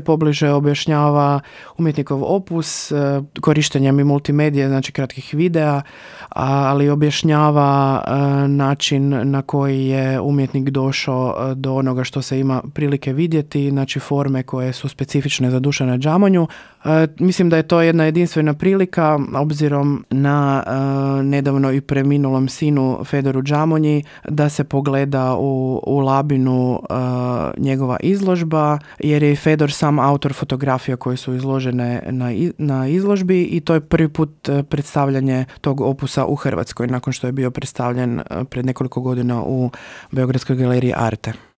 pobliže objašnjava umjetnikov opus, korištenjem i multimedije, znači kratkih videa, ali objašnjava način na koji je umjetnik došao do onoga što se ima prilike vidjeti, znači forme koje su specifične za Dušana Džamonju. Mislim da je to jedna jedinstvena prilika, obzirom na nedavno i preminulom sinu Fedoru Džamonji, da se pogleda u Labinu njegova izložba, jer je i Fedor sam autor fotografija koje su izložene na izložbi i to je prvi put predstavljanje tog opusa u Hrvatskoj, nakon što je bio predstavljen pred nekoliko godina u Beogradskoj galeriji Arte.